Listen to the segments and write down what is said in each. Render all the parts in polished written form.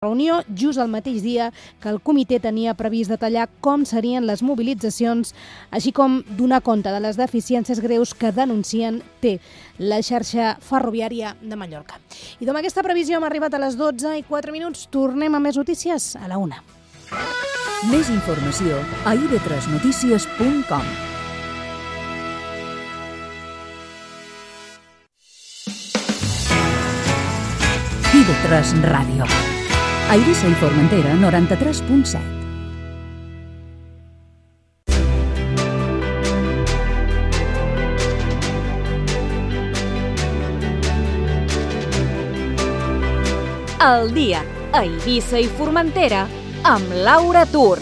reunió just el mateix dia que el comitè tenia previst detallar com serien les mobilitzacions, així com donar compte de les deficiències greus que denuncien té la xarxa ferroviària de Mallorca. I amb aquesta previsió hem arribat a les 12:04. Tornem a més notícies a la 1. Més informació a ib3notícies.com. IB3 Ràdio. A Eivissa i Formentera, 93.7. El dia a Eivissa i Formentera amb Laura Tur.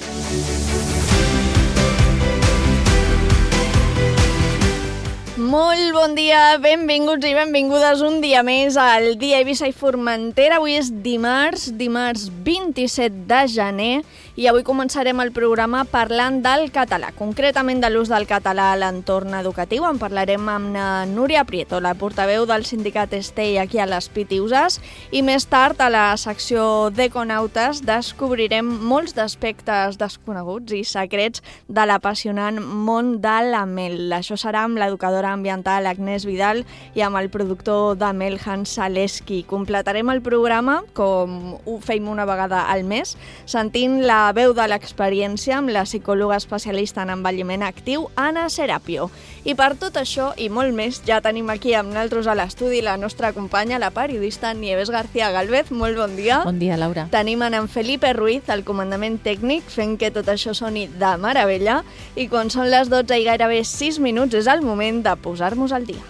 Molt bon dia, benvinguts i benvingudes un dia més al dia Eivissa i Formentera. Avui és dimarts 27 de gener i avui començarem el programa parlant del català, concretament de l'ús del català a l'entorn educatiu. En parlarem amb Núria Prieto, la portaveu del sindicat Estei aquí a les Pitiüses, i més tard a la secció d'Econautes descobrirem molts d'aspectes desconeguts i secrets de l'apassionant món de la mel. Això serà amb l'educadora ambiental Agnès Vidal i amb el productor de mel Hans Zaleski. Completarem el programa, com ho fem una vegada al mes, sentint la veu de l'experiència amb la psicòloga especialista en envelliment actiu, Anna Serapio. I per tot això i molt més, ja tenim aquí amb nosaltres a l'estudi la nostra companya, la periodista Nieves García Galvez. Molt bon dia. Bon dia, Laura. Tenim en Felipe Ruiz, al comandament tècnic, fent que tot això soni de meravella. I quan són les 12 i gairebé 6 minuts és el moment de posar-nos al dia.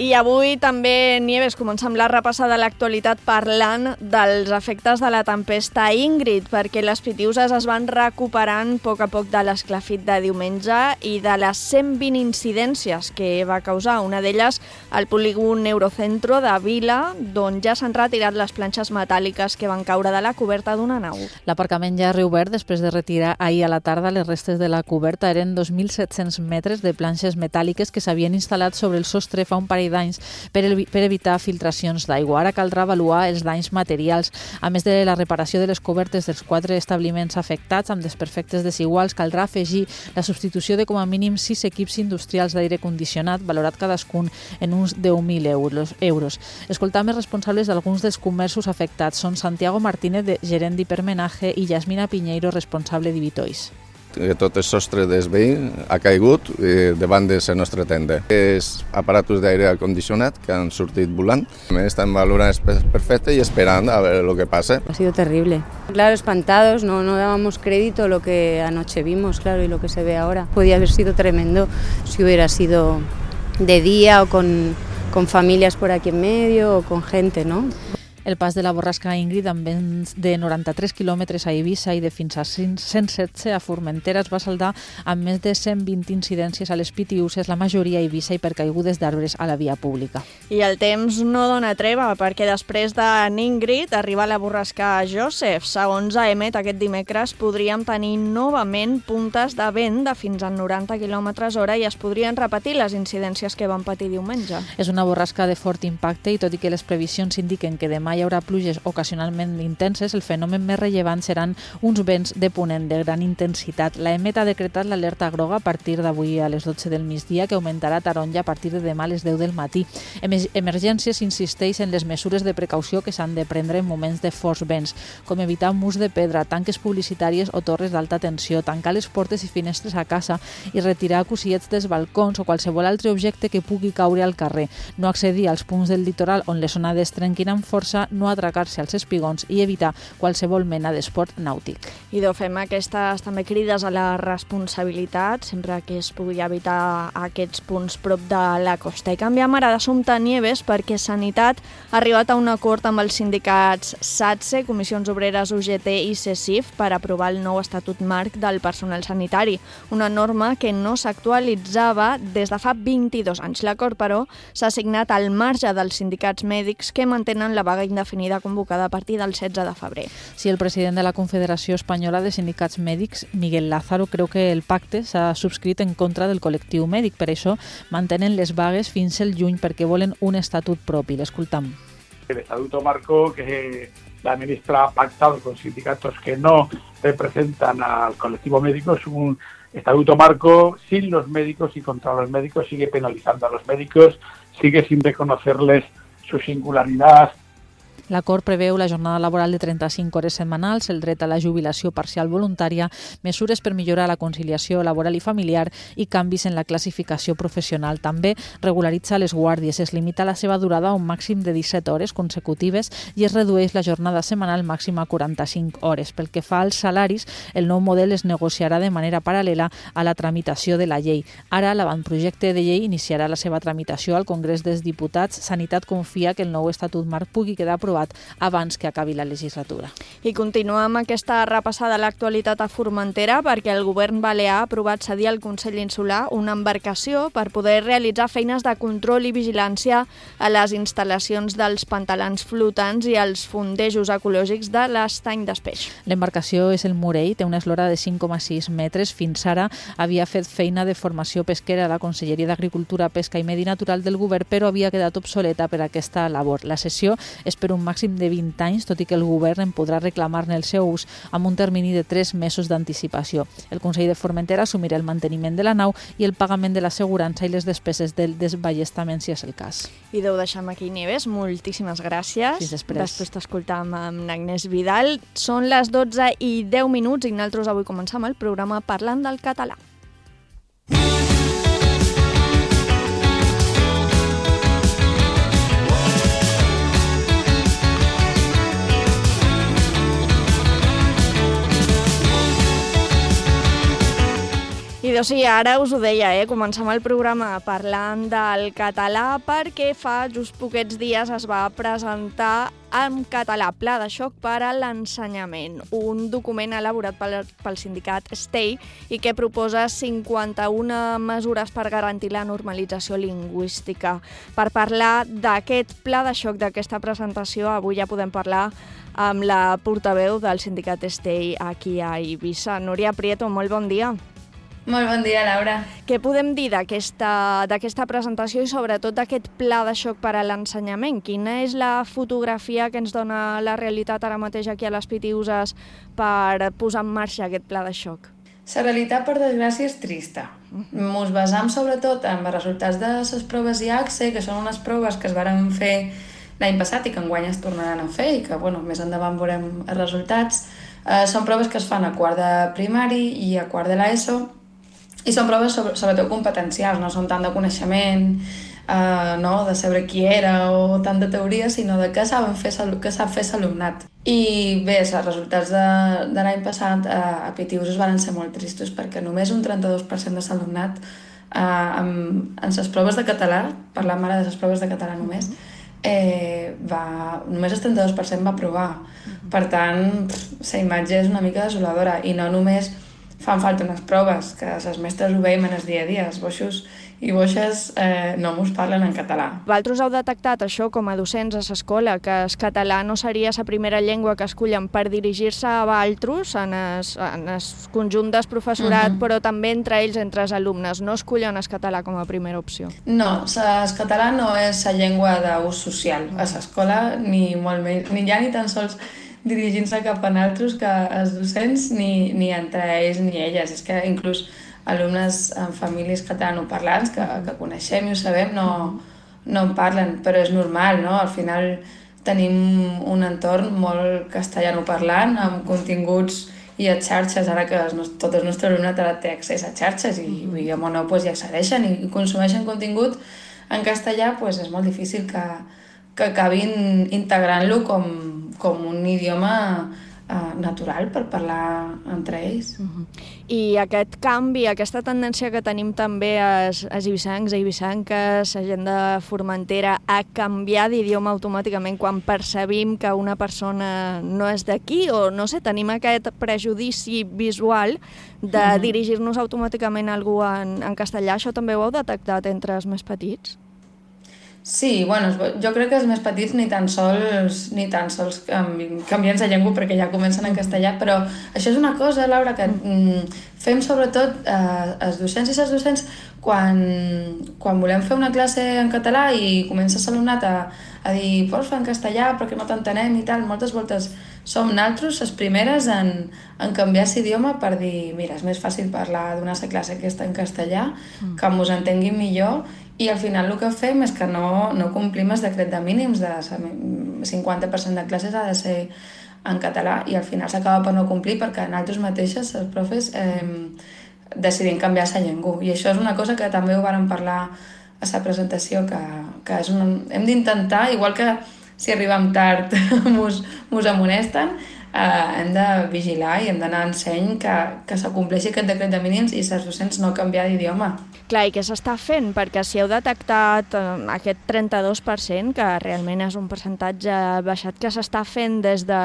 I avui també, Nieves, comencem la repassada de l'actualitat parlant dels efectes de la tempesta Ingrid, perquè les Pitiüses es van recuperant a poc de l'esclafit de diumenge i de les 120 incidències que va causar. Una d'elles al polígon Eurocentro de Vila, d'on ja s'han retirat les planxes metàl·liques que van caure de la coberta d'una nau. L'aparcament ja ha reobert després de retirar ahir a la tarda les restes de la coberta. Eren 2.700 metres de planxes metàl·liques que s'havien instal·lat sobre el sostre fa un parell d'anys per evitar filtracions d'aigua. Ara caldrà avaluar els danys materials. A més de la reparació de les cobertes dels 4 establiments afectats amb desperfectes desiguals, caldrà afegir la substitució de com a mínim 6 equips industrials d'aire condicionat, valorat cadascun en uns 10.000 euros. Escoltam els responsables d'alguns dels comerços afectats. Són Santiago Martínez, gerent d'hipermenaje, i Yasmina Piñeiro, responsable d'Ivitois. Tot el sostre del veí ha caigut davant de la nostra tenda. És aparatos d'aire condicionat que han sortit volant. Estan valorant perfecte y esperando a ver lo que pasa. Ha sido terrible. Claro, espantados, no dábamos crédito a lo que anoche vimos, claro, y lo que se ve ahora. Podía haber sido tremendo si hubiera sido de día o con familias por aquí en medio o con gente, ¿no? El pas de la borrasca Ingrid amb vents de 93 quilòmetres a Eivissa i de fins a 116 a Formentera es va saldar amb més de 120 incidències a les Pitiüses, la majoria a Eivissa i per caigudes d'arbres a la via pública. I el temps no dona treva, perquè després de Ingrid arriba la borrasca Joseph. Segons AEMET, aquest dimecres podríem tenir novament puntes de vent de fins a 90 km/h i es podrien repetir les incidències que van patir diumenge. És una borrasca de fort impacte i tot i que les previsions indiquen que demà hi haurà pluges ocasionalment intenses, el fenomen més rellevant seran uns vents de ponent de gran intensitat. L'AEMET ha decretat l'alerta groga a partir d'avui a les 12 del migdia, que augmentarà a taronja a partir de demà a les 10 del matí. Emergències insisteix en les mesures de precaució que s'han de prendre en moments de forts vents, com evitar murs de pedra, tanques publicitàries o torres d'alta tensió, tancar les portes i finestres a casa i retirar cosillets dels balcons o qualsevol altre objecte que pugui caure al carrer, no accedir als punts del litoral on les onades trenquin amb força, no atracar-se als espigons i evitar qualsevol mena d'esport nàutic. I fem aquestes també crides a la responsabilitat, sempre que es pugui evitar aquests punts prop de la costa. I canviem ara d'assumpte, Nieves, perquè Sanitat ha arribat a un acord amb els sindicats SATSE, Comissions Obreres, UGT i CECIF per aprovar el nou estatut marc del personal sanitari, una norma que no s'actualitzava des de fa 22 anys. L'acord, però, s'ha signat al marge dels sindicats mèdics que mantenen la vaga indefinida convocada a partir del 16 de febrer. Sí, el president de la Confederació Espanyola de Sindicats Mèdics, Miguel Lázaro, creu que el pacte s'ha subscrit en contra del col·lectiu mèdic. Per això mantenen les vagues fins al juny perquè volen un estatut propi. L'escoltam. El estatuto marco que la ministra ha pactado con sindicatos que no representan al colectivo médico es un estatuto marco sin los médicos y contra los médicos, sigue penalizando a los médicos, sigue sin reconocerles su singularidad. L'acord preveu la jornada laboral de 35 hores setmanals, el dret a la jubilació parcial voluntària, mesures per millorar la conciliació laboral i familiar i canvis en la classificació professional. També regularitza les guàrdies, es limita la seva durada a un màxim de 17 hores consecutives i es redueix la jornada setmanal màxima a 45 hores. Pel que fa als salaris, el nou model es negociarà de manera paral·lela a la tramitació de la llei. Ara, l'avantprojecte de llei iniciarà la seva tramitació al Congrés dels Diputats. Sanitat confia que el nou estatut marc pugui quedar aprovat abans que acabi la legislatura. I continuem amb aquesta repassada a l'actualitat a Formentera perquè el govern balear ha aprovat cedir al Consell Insular una embarcació per poder realitzar feines de control i vigilància a les instal·lacions dels pantalans flotants i els fondejos ecològics de l'estany d'Espeix. L'embarcació és el Morell, té una eslora de 5,6 metres. Fins ara havia fet feina de formació pesquera a la Conselleria d'Agricultura, Pesca i Medi Natural del govern, però havia quedat obsoleta per aquesta labor. La cessió és per un màxim de 20 anys, tot i que el govern en podrà reclamar-ne el seu ús amb un termini de 3 mesos d'anticipació. El Consell de Formentera assumirà el manteniment de la nau i el pagament de l'assegurança i les despeses del desballestament, si és el cas. I ho deixem aquí, Nieves. Moltíssimes gràcies. Fins després. Després t'escoltam amb Agnès Vidal. Són les 12:10 i nosaltres avui començam el programa parlant del català. I doncs sí, ara us ho deia, comencem el programa parlant del català perquè fa just poquets dies es va presentar en català Pla de xoc per a l'ensenyament, un document elaborat pel sindicat STEI i que proposa 51 mesures per garantir la normalització lingüística. Per parlar d'aquest pla de xoc, d'aquesta presentació, avui ja podem parlar amb la portaveu del sindicat STEI aquí a Eivissa. Núria Prieto, molt bon dia. Molt bon dia, Laura. Què podem dir d'aquesta presentació i sobretot d'aquest pla de xoc per a l'ensenyament? Quina és la fotografia que ens dona la realitat ara mateix aquí a les Pitiüses per posar en marxa aquest pla de xoc? La realitat, per desgràcia, és trista. Ens basam sobretot en els resultats de les proves IACSE, que són unes proves que es varen fer l'any passat i que enguany es tornaran a fer i que més endavant veurem els resultats. Són proves que es fan a quart de primari i a quart de l'ESO i són proves sobretot competencials, no són tant de coneixement, de saber qui era o tant de teoria, sinó de què sap fer l'alumnat. I bé, els resultats de l'any passat a Pitiüses van ser molt tristos perquè només un 32% de l'alumnat en les proves de català, parlant ara de les proves de català només, només el 32% va aprovar. Per tant, la imatge és una mica desoladora i no només fan falta unes proves, que les mestres ho veiem en el dia a dia, els boixos i boixes no mos parlen en català. Vosaltres heu detectat això com a docents a l'escola, que el català no seria la primera llengua que escollen per dirigir-se a altres en el conjunt del professorat, però també entre ells, entre els alumnes, no escollen el català com a primera opció? No, el català no és la llengua d'ús social a l'escola, ni molt menys, ni ja ni tan sols dirigint-se cap a altres que els docents, ni entre ells ni elles. És que inclús alumnes en famílies catalanoparlants que coneixem i ho sabem no en parlen, però és normal, no? Al final tenim un entorn molt castellanoparlant, amb continguts i a xarxes, ara que tot el nostre alumnat ara té accés a xarxes i a Monó hi accedeixen i consumeixen contingut en castellà, és molt difícil que acabin integrant-lo com un idioma natural per parlar entre ells. I aquest canvi, aquesta tendència que tenim també als eivissencs, eivissenques, la gent de Formentera, a canviar d'idioma automàticament quan percebim que una persona no és d'aquí, o no sé, tenim aquest prejudici visual de dirigir-nos automàticament a algú en castellà, això també ho heu detectat entre els més petits? Sí, bueno, jo crec que els més petits ni tan sols canvien la llengua perquè ja comencen en castellà, però això és una cosa, Laura, que fem sobretot els docents i les docents quan volem fer una classe en català i comença l'alumnat a dir porfa, en castellà, perquè no t'entenem i tal, moltes voltes som nosaltres les primeres en canviar l'idioma per dir, mira, és més fàcil donar la classe aquesta en castellà, que mos entenguin millor, i al final el que fem és que no complim el decret de mínims, de 50% de classes ha de ser en català, i al final s'acaba per no complir perquè nosaltres mateixes, els profes, decidim canviar la llengua. I això és una cosa que també ho vàrem parlar a la presentació, que hem d'intentar, igual que si arribem tard mos amonesten, hem de vigilar i hem d'anar en seny que s'acompleixi aquest decret de mínims i els docents no canviar d'idioma. Clar, i què s'està fent? Perquè si heu detectat aquest 32%, que realment és un percentatge baixat, que s'està fent des de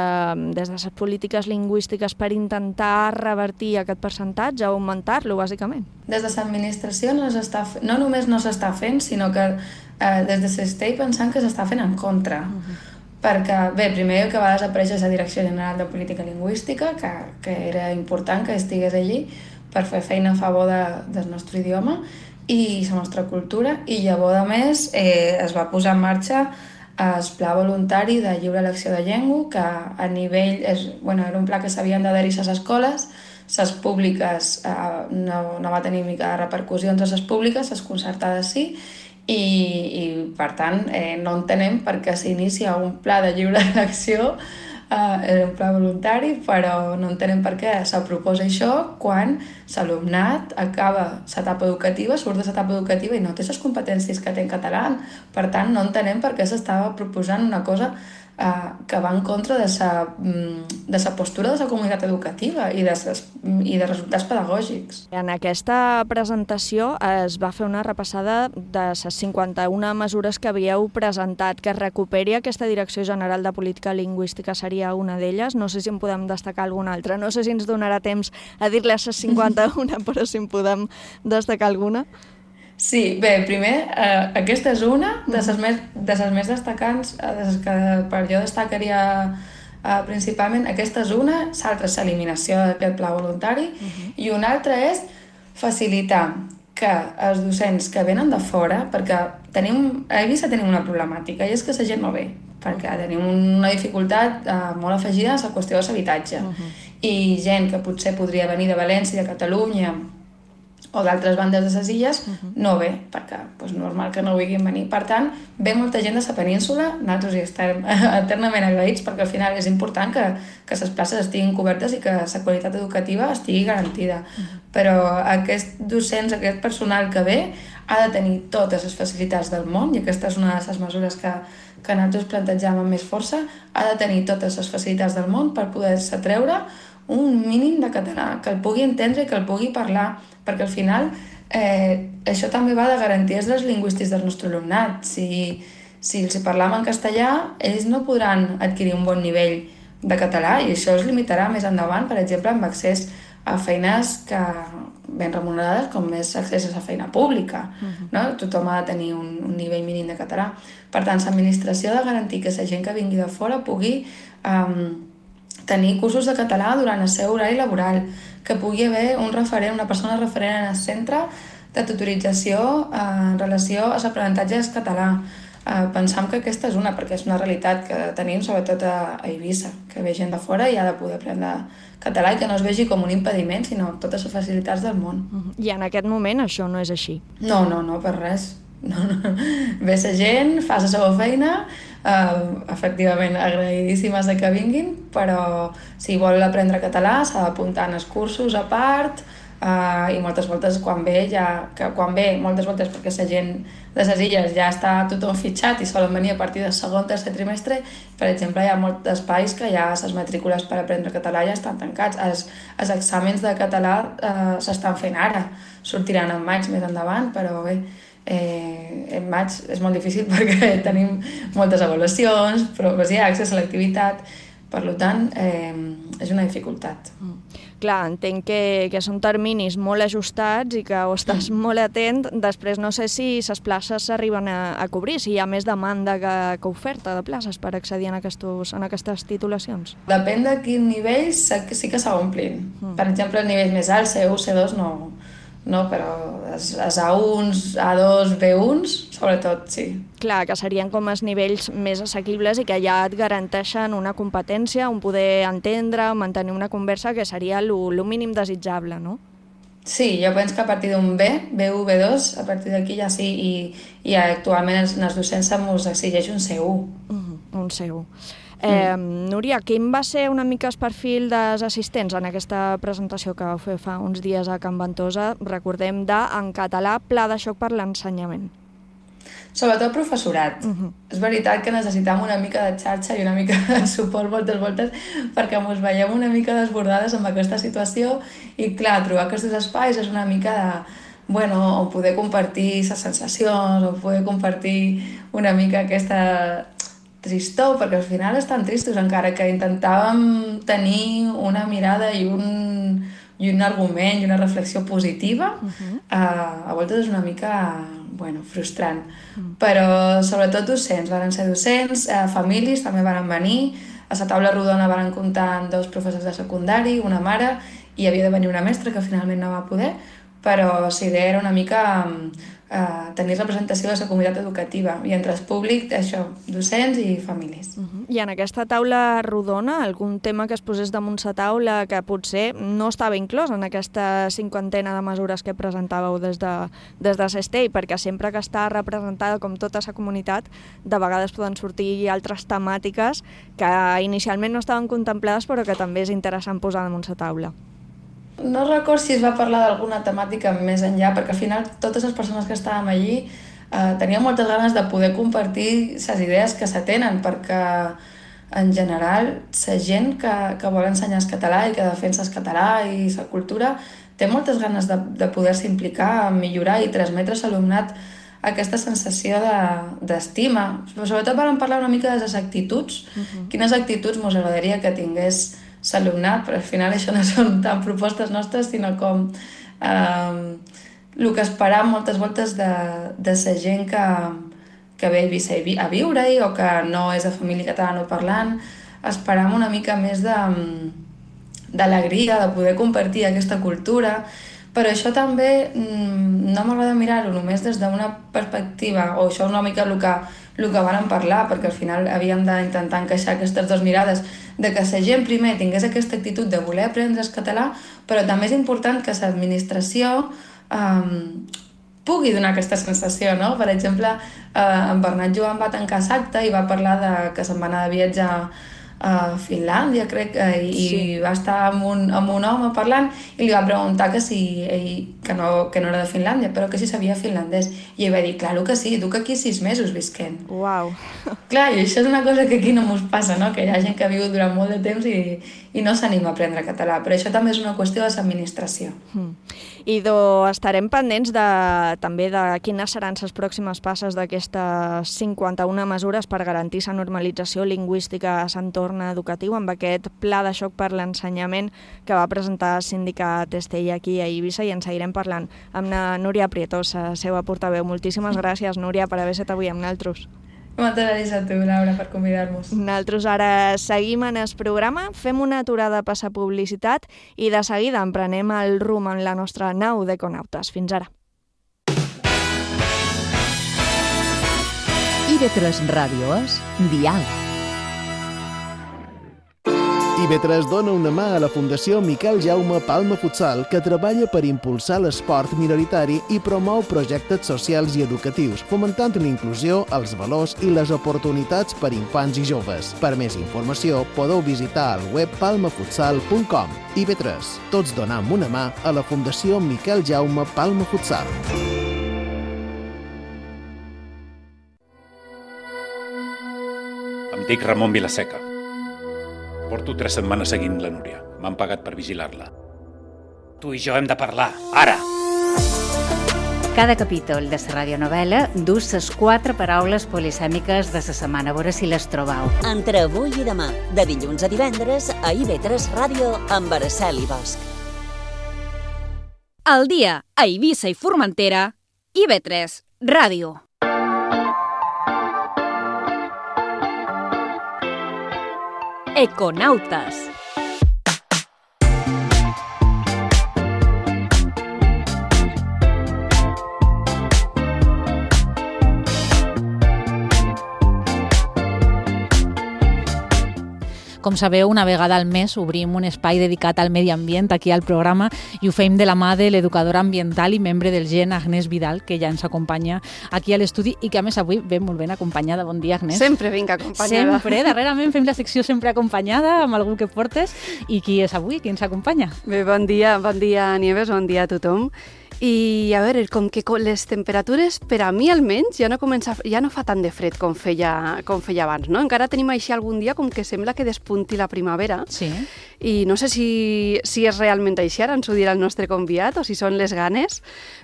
les polítiques lingüístiques per intentar revertir aquest percentatge, augmentar-lo, bàsicament? Des de l'administració no només no s'està fent, sinó que des de s'està pensant que s'està fent en contra. Perquè, bé, primer que va desaparèixer la Direcció General de Política Lingüística, que era important que estigués allí per fer feina a favor del nostre idioma i la nostra cultura, i llavors, a més, es va posar en marxa el Pla Voluntari de Lliure Elecció de Llengua, que a nivell... era un pla que s'havien d'adherir a les escoles, les públiques no va tenir mica de repercussió entre les públiques, les concertades sí, i per tant no entenem per què s'inicia un pla de lliure elecció, un pla voluntari, però no entenem per què se proposa això quan l'alumnat acaba l'etapa educativa, surt de l'etapa educativa i no té les competències que té en català. Per tant, no entenem per què s'estava proposant una cosa que va en contra de la postura de la comunitat educativa i de resultats pedagògics. En aquesta presentació es va fer una repassada de les 51 mesures que havíeu presentat. Que es recuperi aquesta Direcció General de Política Lingüística seria una d'elles. No sé si en podem destacar alguna altra. No sé si ens donarà temps a dir-les les 51, però si en podem destacar alguna. Sí, bé, primer, aquesta és una de les més destacants, que per jo destacaria principalment. Aquesta és una, l'altra és l'eliminació d'aquest pla voluntari, i una altra és facilitar que els docents que venen de fora, perquè a Eivissa tenim una problemàtica, i és que la gent no ve, perquè tenim una dificultat molt afegida a la qüestió de l'habitatge, i gent que potser podria venir de València, de Catalunya, o d'altres bandes de les illes, no ve, perquè és normal que no vulguin venir. Per tant, ve molta gent de la península, nosaltres hi estem eternament agraïts, perquè al final és important que les places estiguin cobertes i que la qualitat educativa estigui garantida. Però aquest docents, aquest personal que ve, ha de tenir totes les facilitats del món, i aquesta és una de les mesures que nosaltres plantegem amb més força, ha de tenir totes les facilitats del món per poder-se treure un mínim de català, que el pugui entendre i que el pugui parlar, perquè al final això també va de garanties dels lingüístics del nostre alumnat. Si els parlam en castellà, ells no podran adquirir un bon nivell de català, i això es limitarà més endavant, per exemple, amb accés a feines ben remunerades, com és accés a la feina pública. Tothom ha de tenir un nivell mínim de català. Per tant, l'administració ha de garantir que la gent que vingui de fora pugui tenir cursos de català durant el seu horari laboral, que pugui haver una persona referent en el centre de tutorització en relació a l'aprenentatge del català. Pensam que aquesta és una, perquè és una realitat que tenim sobretot a Eivissa, que ve gent de fora i ha de poder aprendre català i que no es vegi com un impediment, sinó totes les facilitats del món. I en aquest moment això no és així? No, per res. Ve la gent, fa la seva feina, efectivament agraïdíssimes de que vinguin, però si vol aprendre català s'ha d'apuntar en els cursos a part, i moltes voltes quan ve, moltes voltes perquè la gent de les illes ja està tothom fitxat i solen venir a partir del segon o tercer trimestre. Per exemple, hi ha molts espais que ja les matrícules per aprendre català ja estan tancats. Els exàmens de català s'estan fent ara, sortiran en maig més endavant, però bé, en maig és molt difícil perquè tenim moltes avaluacions, proves i accés a l'activitat, per tant, és una dificultat. Clar, entenc que són terminis molt ajustats i que o estàs molt atent, després no sé si les places s'arriben a cobrir, si hi ha més demanda que oferta de places per accedir en aquestes titulacions. Depèn de quin nivell sí que s'omplin. Per exemple, el nivell més alt, C1, C2, no, però els A1s, A2, B1s, sobretot, sí. Clar, que serien com els nivells més assequibles i que ja et garanteixen una competència, un poder entendre, mantenir una conversa, que seria el mínim desitjable, no? Sí, jo penso que a partir d'un B1, B2, a partir d'aquí ja sí, i actualment els docents se'ns exigeix un C1. Un C1. Núria, quin va ser una mica el perfil dels assistents en aquesta presentació que vau fer fa uns dies a Can Ventosa, recordem, en català, Pla de xoc per l'ensenyament? Sobretot professorat. És veritat que necessitam una mica de xarxa i una mica de suport moltes voltes perquè ens veiem una mica desbordades amb aquesta situació i, clar, trobar aquests espais és una mica de on poder compartir les sensacions, on poder compartir una mica aquesta tristor, perquè al final estan tristos, encara que intentàvem tenir una mirada i un argument i una reflexió positiva, a voltes és una mica frustrant. Però sobretot docents, van ser docents, famílies també van venir, a la taula rodona van comptar amb 2 professors de secundari, una mare, i havia de venir una mestra que finalment no va poder, però la idea era una mica tenir representació de la comunitat educativa i entre el públic, això, docents i famílies. I en aquesta taula rodona, algun tema que es posés damunt la taula que potser no estava inclòs en aquesta 50ena de mesures que presentàveu des de Cestell, perquè sempre que està representada com tota la comunitat, de vegades poden sortir altres temàtiques que inicialment no estaven contemplades però que també és interessant posar damunt la taula. No recordo si es va parlar d'alguna temàtica més enllà, perquè al final totes les persones que estàvem allí teníem moltes ganes de poder compartir les idees que se tenen, perquè en general la gent que vol ensenyar el català i que defensa el català i la cultura té moltes ganes de poder-se implicar, millorar i transmetre a l'alumnat aquesta sensació d'estima. Sobretot vam parlar una mica de les actituds, quines actituds ens agradaria que tingués l'alumnat, però al final això no són tant propostes nostres, sinó com el que esperam moltes voltes de la gent que ve a viure-hi o que no és de família catalanoparlant. Esperam una mica més d'alegria, de poder compartir aquesta cultura, però això també no m'agrada mirar-ho només des d'una perspectiva, o això és una mica el que vàrem parlar, perquè al final havíem d'intentar encaixar aquestes 2 mirades, de que la gent primer tingués aquesta actitud de voler aprendre el català, però també és important que l'administració pugui donar aquesta sensació, no? Per exemple, en Bernat Joan va tancar l'acte i va parlar que se'n va anar de viatge a Finlàndia, crec, i va estar amb un home parlant i li va preguntar que no era de Finlàndia, però que si sabia finlandès. I ell va dir, clar que sí, duc aquí 6 mesos visquent. Uau! Clar, i això és una cosa que aquí no mos passa, no? Que hi ha gent que ha vigut durant molt de temps i no s'anima a aprendre català, però això també és una qüestió de l'administració. I estarem pendents també de quines seran les pròximes passes d'aquestes 51 mesures per garantir la normalització lingüística a l'entorn educatiu amb aquest pla de xoc per l'ensenyament que va presentar el sindicat Cestell aquí a Eivissa, i en seguirem parlant amb la Núria Prieto, la seva portaveu. Moltíssimes gràcies, Núria, per haver estat avui amb nosaltres. Moltes gràcies a tu, Laura, per convidar-nos. Nosaltres ara seguim en el programa, fem una aturada per la publicitat i de seguida emprenem el rumb en la nostra nau d'Econautes. Fins ara. IB3 Ràdio és Diàleg. IB3 dona una mà a la Fundació Miquel Jaume Palma Futsal, que treballa per impulsar l'esport minoritari i promou projectes socials i educatius, fomentant la inclusió, els valors i les oportunitats per infants i joves. Per més informació, podeu visitar el web palmafutsal.com. IB3, tots donam una mà a la Fundació Miquel Jaume Palma Futsal. Em dic Ramon Vilaseca. Porto 3 setmanes seguint la Núria. M'han pagat per vigilar-la. Tu i jo hem de parlar, ara! Cada capítol de la radionovel·la dus les 4 paraules polisèmiques de la setmana. A veure si les trobau. Entre avui i demà, de dilluns a divendres, a IB3 Ràdio amb Araceli Bosch. Al dia a Eivissa i Formentera, IB3 Ràdio. Econautes. Com sabeu, una vegada al mes obrim un espai dedicat al medi ambient aquí al programa i ho fem de la mà de l'educadora ambiental i membre del GEN, Agnès Vidal, que ja ens acompanya aquí a l'estudi i que a més avui ve molt ben acompanyada. Bon dia, Agnès. Sempre vinc acompanyada. Sempre, darrerament fem la secció sempre acompanyada amb algú que portes. I qui és avui? Qui ens acompanya? Bé, bon dia, Nieves, bon dia a tothom. I a veure, com que les temperatures, per a mi almenys, ja no fa tant de fred com feia abans, no? Encara tenim així algun dia com que sembla que despunti la primavera. Sí. I no sé si és realment així, ara ens ho dirà el nostre convidat, o si són les ganes,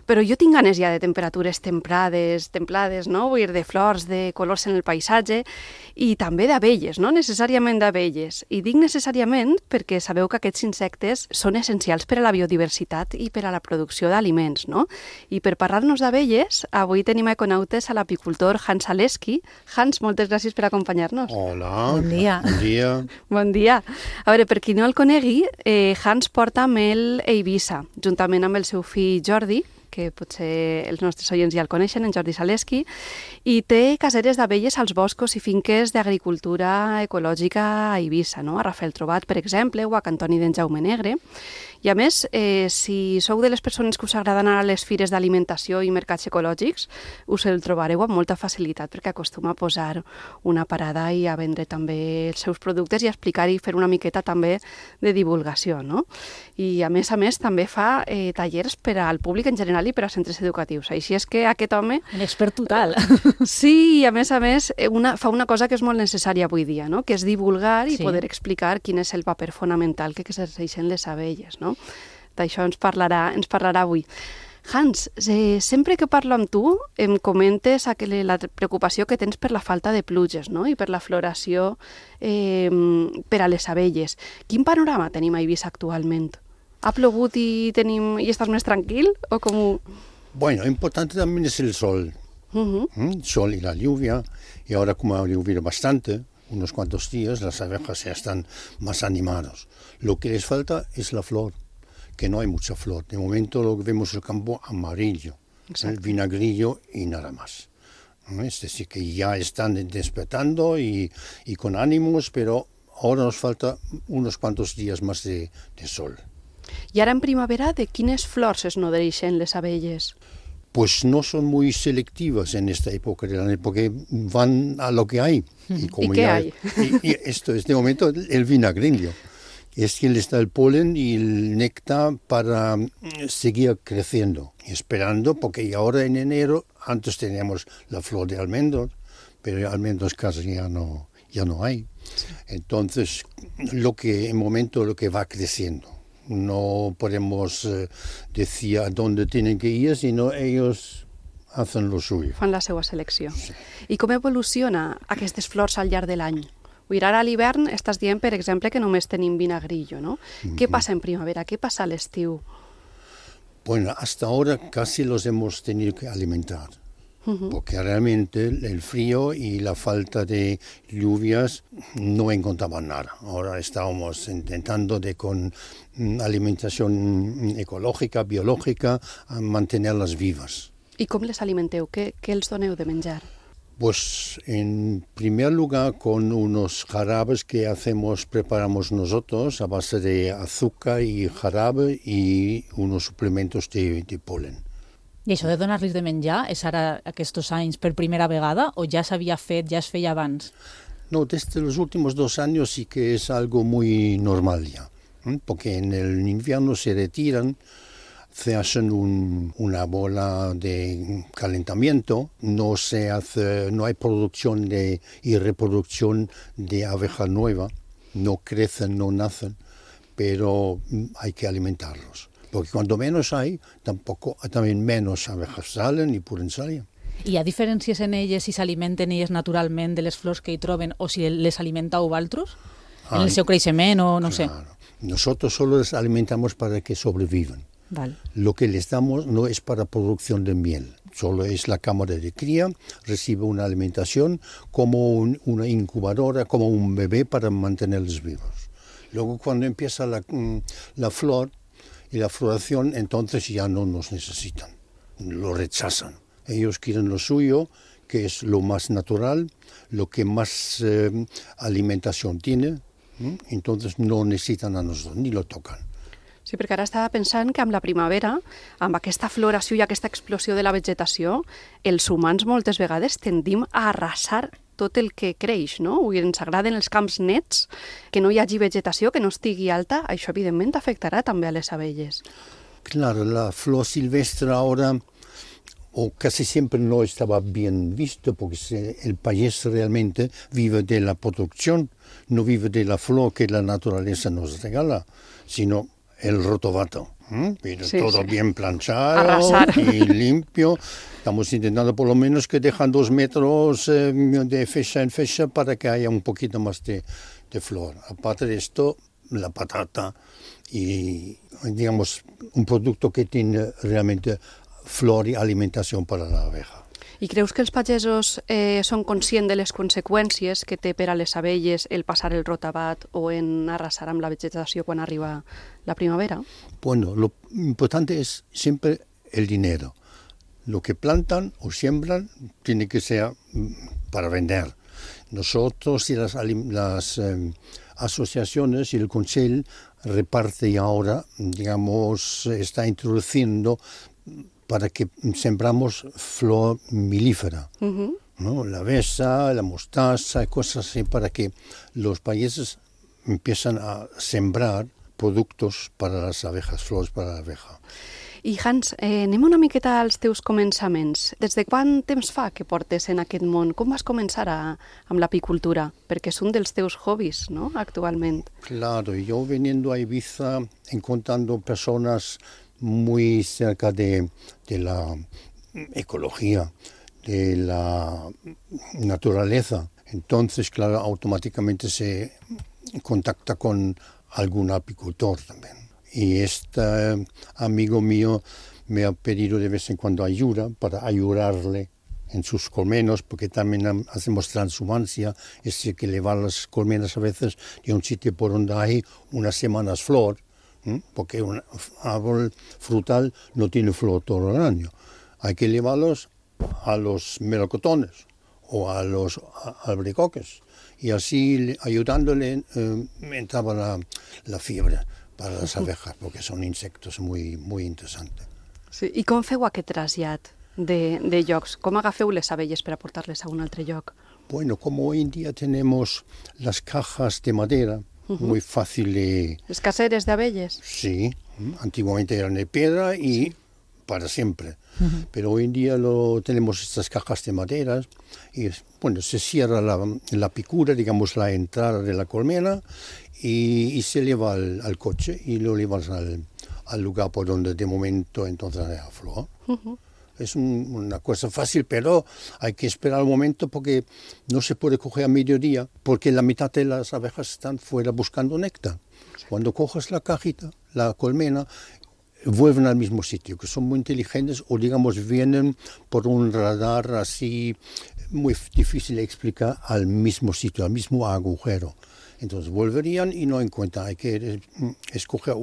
però jo tinc ganes ja de temperatures templades, no? Vull dir, de flors, de colors en el paisatge, i també d'abelles, no? Necessàriament d'abelles. I dic necessàriament perquè sabeu que aquests insectes són essencials per a la biodiversitat i per a la producció d'aliments, no? I per parlar-nos d'abelles, avui tenim a Econautes a l'apicultor Hans Zaleski. Hans, moltes gràcies per acompanyar-nos. Hola, bon dia. Bon dia. Bon dia. A veure, per qui no el conegui, Hans porta mel a Eivissa, juntament amb el seu fill Jordi, que potser els nostres oients ja el coneixen, en Jordi Zaleski, i té caseres d'abelles als boscos i finques d'agricultura ecològica a Eivissa, no? A Rafeltrobat, per exemple, o a Cantoni d'en Jaume Negre. I a més, si sou de les persones que us agrada anar a les fires d'alimentació i mercats ecològics, us el trobareu amb molta facilitat perquè acostuma a posar una parada i a vendre també els seus productes i a explicar i fer una miqueta també de divulgació, no? I a més també fa tallers per al públic en general i per a centres educatius. Així és que aquest home... Un expert total. Sí, i a més fa una cosa que és molt necessària avui dia, no? Que és divulgar i poder explicar quin és el paper fonamental que exerceixen les abelles, no? D'això ens parlarà avui. Hans, sempre que parlo amb tu em comentes la preocupació que tens per la falta de pluges, no? I per la floració per a les abelles. Quin panorama tenim a Eivissa actualment? ¿Ha plogut y estás más tranquil? ¿O cómo? Bueno, importante también es el sol. El sol y la lluvia. Y ahora, como ha llovido bastante, unos cuantos días, las abejas ya están más animadas. Lo que les falta es la flor, que no hay mucha flor. De momento lo que vemos es el campo amarillo, el vinagrillo y nada más. Es decir, que ya están despertando y con ánimos, pero ahora nos falta unos cuantos días más de sol. I ara en primavera, de quines flors es nodreixen les abelles? Pues no son muy selectivas en esta época del año, porque van a lo que hay. ¿Y qué hay? Y esto es de momento el vinagrillo. Es que le está el polen y el néctar para seguir creciendo, esperando, porque ahora en enero, antes teníamos la flor de almendros, pero almendros casi ya no hay. Entonces, lo que va creciendo. No podemos decir a dónde tienen que ir, sino ellos hacen lo suyo. Fan la seva selecció. Sí. I com evoluciona aquestes flors al llarg de l'any? Ara a l'hivern estàs dient, per exemple, que només tenim vinagrillo, ¿no? ¿Qué pasa en primavera? ¿Qué pasa al estiu? Bueno, hasta ahora casi los hemos tenido que alimentar. Porque realmente el frío y la falta de lluvias no encontraban nada. Ahora estábamos intentando con alimentación ecológica, biológica, mantenerlas vivas. ¿Y cómo les alimenteu? ¿Qué els doneu de menjar? Pues en primer lugar con unos jarabes que preparamos nosotros a base de azúcar y jarabe y unos suplementos de polen. I això de donar-los de menjar és ara aquests anys per primera vegada o ja s'havia fet, ja es feia abans? No, desde los últimos 2 años sí que es algo muy normal ya, porque en el invierno se retiran, se hacen una bola de calentamiento, no hay producción y reproducción de abeja nueva, no crecen, no nacen, pero hay que alimentarlos. Porque cuando menos hay, también menos abejas salen y pueden salir. Hi ha diferències en elles si s'alimenten elles naturalment de les flors que hi troben o si les alimenteu vosaltres? En el seu creixement o no sé? Nosotros solo les alimentamos para que sobrevivan. Vale. Lo que les damos no es para producción de miel, solo es la cámara de cría, recibe una alimentación como una incubadora, como un bebé para mantenerlos vivos. Luego cuando empieza la flor y la floración, entonces ya no nos necesitan, lo rechazan. Ellos quieren lo suyo, que es lo más natural, lo que más alimentación tiene, entonces no necesitan a nosotros, ni lo tocan. Sí, perquè ara estava pensant que amb la primavera, amb aquesta floració i aquesta explosió de la vegetació, els humans moltes vegades tendim a arrasar tot el que creix, no? Ens agraden els camps nets, que no hi hagi vegetació, que no estigui alta, això evidentment afectarà també a les abelles. Claro, la flor silvestre ahora, o casi siempre no estaba bien visto, porque el payés realmente vive de la producción, no vive de la flor que la naturaleza nos regala, sino el rotovato, pero sí, todo sí. bien planchado Arrasar. y limpio. Estamos intentando por lo menos que dejan 2 metros de fecha en fecha para que haya un poquito más de flor. Aparte de esto, la patata y, digamos, un producto que tiene realmente flor y alimentación para la abeja. I creus que els pagesos són conscients de les conseqüències que té per a les abelles el passar el rotavat o en arrasar amb la vegetació quan arriba la primavera? Bueno, lo importante es siempre el dinero. Lo que plantan o siembran tiene que ser para vender. Nosotros y las asociaciones y el Consejo reparte ahora, digamos, está introduciendo para que sembramos flor milífera, ¿no? La avesa, la mostaza, cosas así, para que los países empiezan a sembrar productos para las abejas, flors para la abeja. I Hans, anem una miqueta als teus començaments. Des de quant temps fa que portes en aquest món? Com vas començar amb l'apicultura? Perquè és un dels teus hobbies, ¿no?, actualment. Claro, yo viniendo a Ibiza, encontrando personas muy cerca de la ecología, de la naturaleza. Entonces, claro, automáticamente se contacta con algún apicultor también. Y este amigo mío me ha pedido de vez en cuando ayuda para ayudarle en sus colmenas, porque también hacemos transhumancia, es decir, que llevar las colmenas a veces de un sitio por donde hay unas semanas flor, porque un árbol frutal no tiene flor todo el año. Hay que llevarlos a los melocotones o a los albaricoques. Y así, ayudándole, entraba la fiebre para las abejas, porque son insectos muy, muy interesantes. Sí. I com feu aquest trasllat de llocs? Com agafeu les abelles per a portar-les a un altre lloc? Bueno, como hoy en día tenemos las cajas de madera, muy fácil de... ¿Les caseres de abelles? Sí, antiguamente eran de piedra y para siempre. Pero hoy en día tenemos estas cajas de madera y, bueno, se cierra la picura, digamos, la entrada de la colmena y se lleva al coche y lo llevas al lugar por donde de momento entonces hay flor. Es una cosa fácil, pero hay que esperar un momento porque no se puede coger a mediodía, porque la mitad de las abejas están fuera buscando néctar. Cuando coges la cajita, la colmena, vuelven al mismo sitio, que son muy inteligentes o, digamos, vienen por un radar así muy difícil de explicar al mismo sitio, al mismo agujero. Entonces volverían y no encuentran. Hay que escoger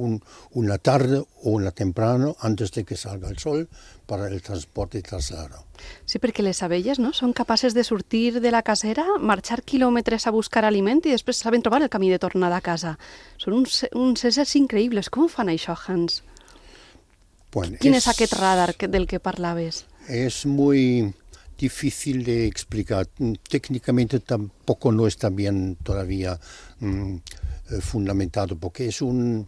una tarde o una temprano antes de que salga el sol para el transporte y traslado. Sí, perquè les abelles, no?, són capaces de sortir de la casera, marxar quilòmetres a buscar aliment i després saben trobar el camí de tornada a casa. Són uns éssers increïbles. Com fan això, Hans? Bueno, Quin és aquest radar del que parlaves? Es muy difícil de explicar. Técnicamente tampoco no está bien todavía fundamentado, porque es un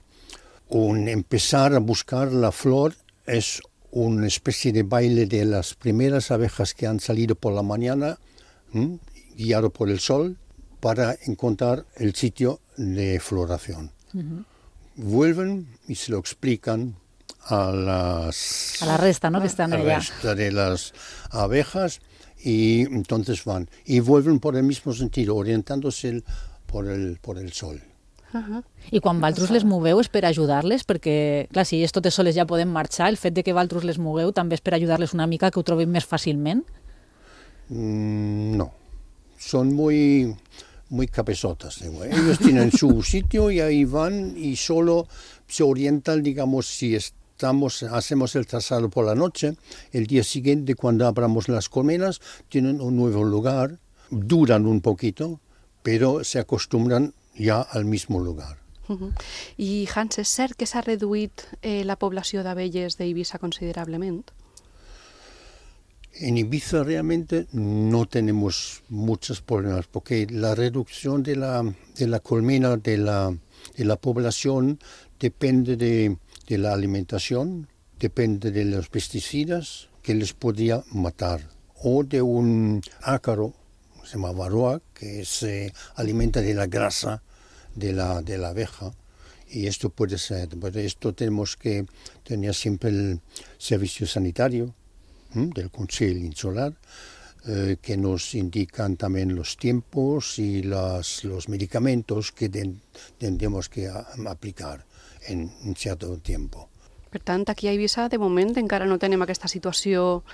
empezar a buscar la flor, es una especie de baile de las primeras abejas que han salido por la mañana, guiado por el sol, para encontrar el sitio de floración. Vuelven y se lo explican a la resta, ¿no?, que están allá. A la resta de las abejas y entonces van y vuelven por el mismo sentido, orientándose por el sol. I quan vosaltres les moveu és per ajudar-les? Perquè, clar, si ells totes soles ja poden marxar, el fet de que vosaltres les mogueu també és per ajudar-les una mica que ho trobin més fàcilment? No, son muy cabezotas. Ellos tienen su sitio y ahí van y solo se orientan, digamos, si hacemos el trazado por la noche, el día siguiente cuando abramos las colmenas tienen un nuevo lugar, duran un poquito, pero se acostumbran ya al mismo lugar. I Hans, és cert que s'ha reduït la població d'abelles d'Eivissa considerablement? En Ibiza realmente no tenemos muchos problemas porque la reducción de la colmena de la población depende de la alimentación, depende de los pesticidas que les podría matar o de un ácaro, se llama varroa, que se alimenta de la grasa de la abeja. Y esto puede ser, por esto tenemos que tener siempre el servicio sanitario del Consell Insular, que nos indican también los tiempos y los medicamentos que tendremos que aplicar en un cierto tiempo. Per tant, aquí a Eivissa, de moment, encara no tenem aquesta situació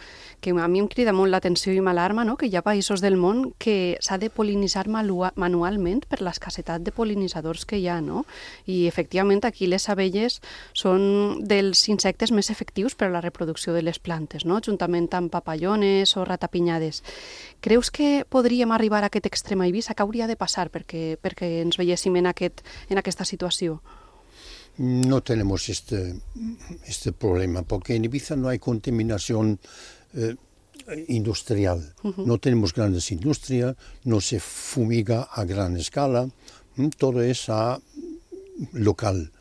que a mi em crida molt l'atenció i m'alarma, no? Que hi ha països del món que s'ha de pol·linitzar manualment per l'escassetat de pol·linitzadors que hi ha, no? I, efectivament, aquí les abelles són dels insectes més efectius per a la reproducció de les plantes, no? Juntament amb papallones o ratapinyades. Creus que podríem arribar a aquest extrem a Eivissa? Què hauria de passar perquè ens veiéssim en aquesta situació? No tenemos este problema, porque en Ibiza no hay contaminación industrial. No tenemos grandes industrias, no se fumiga a gran escala, todo es local.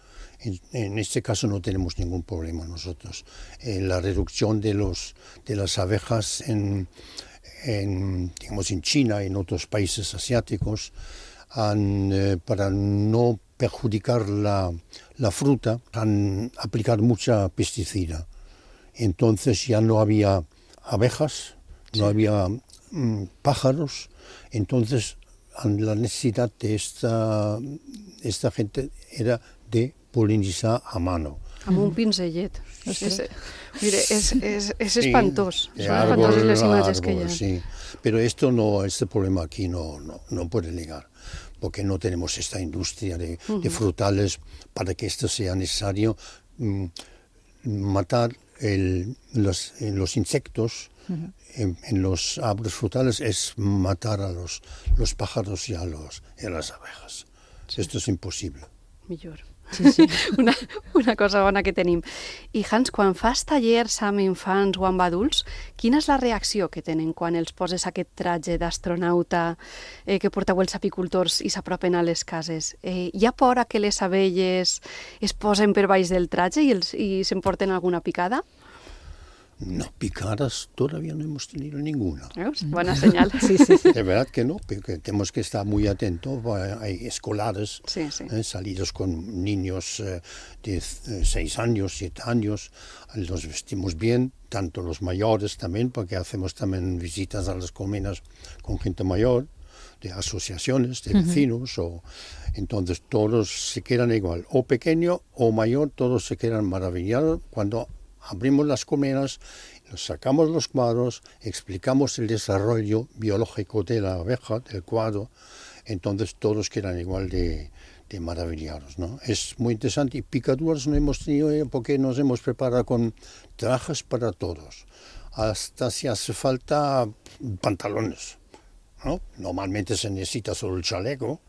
En este caso no tenemos ningún problema nosotros. La reducción de las abejas en China y en otros países asiáticos para no perjudicar la fruta, han aplicado mucha pesticida. Entonces ya no había abejas, no había pájaros, entonces la necesidad de esta gente era de polinizar a mano. Amb un pinzellet. És espantós. Són espantoses les imatges que hi ha. Sí. Pero este problema aquí no puede negar, porque no tenemos esta industria de frutales para que esto sea necesario. Matar los insectos en los árboles frutales es matar a los pájaros y a las abejas. Sí. Esto es imposible. Millor. Sí. Una cosa bona que tenim. I Hans, quan fas tallers amb infants o amb adults, quina és la reacció que tenen quan els poses aquest traje d'astronauta que porteu els apicultors i s'apropen a les cases? Hi ha por a que les abelles es posen per baix del traje i s'emporten alguna picada? No, picadas todavía no hemos tenido ninguna. Buena señal. Sí. De verdad que no, porque tenemos que estar muy atentos. Hay escolares salidos con niños de 6 años, 7 años. Los vestimos bien, tanto los mayores también, porque hacemos también visitas a las colmenas con gente mayor, de asociaciones, de vecinos. Entonces todos se quedan igual, o pequeño o mayor, todos se quedan maravillados cuando abrimos las colmenas, sacamos los cuadros, explicamos el desarrollo biológico de la abeja, del cuadro, entonces todos quedan igual de maravillados, ¿no? Es muy interesante y picaduras no hemos tenido porque nos hemos preparado con trajes para todos, hasta si hace falta pantalones, ¿no? Normalmente se necesita solo el chaleco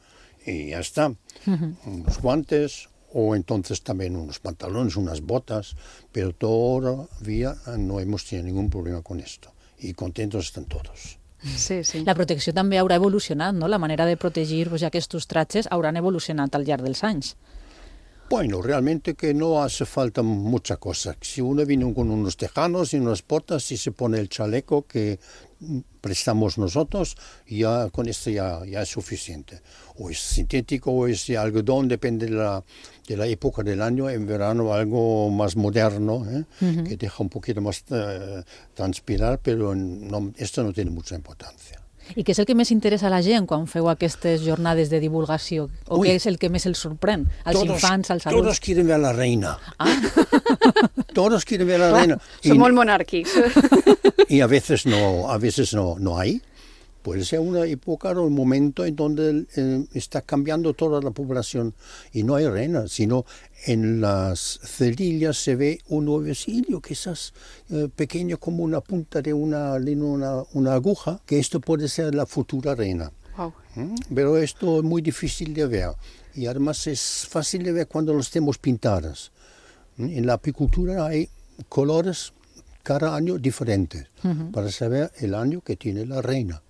y ya está, unos guantes, o entonces también unos pantalones, unas botas, pero todavía no hemos tenido ningún problema con esto. Y contentos están todos. Sí. La protecció també haurà evolucionat, no? La manera de protegir aquests trajes hauran evolucionat al llarg dels anys. Bueno, realmente que no hace falta mucha cosa. Si uno viene con unos tejanos y unas botas y se pone el chaleco que prestamos nosotros, ya con esto ya es suficiente. O es sintético o es de algodón, depende de la época del año. En verano algo más moderno, que deja un poquito más transpirar, pero esto no tiene mucha importancia. I què és el que més interessa a la gent quan feu aquestes jornades de divulgació? O què és el que més els sorprèn? Als infants, als adults? Todos quieren ver a la reina. Todos quieren ver a la reina. Són molt monàrquics. Y a veces no hay. Puede ser una época o un momento en donde está cambiando toda la población y no hay reina, sino en las cerillas se ve un huevecillo, quizás pequeño como una punta de una aguja, que esto puede ser la futura reina. Wow. Pero esto es muy difícil de ver y además es fácil de ver cuando los tenemos pintadas. En la apicultura hay colores cada año diferentes para saber el año que tiene la reina.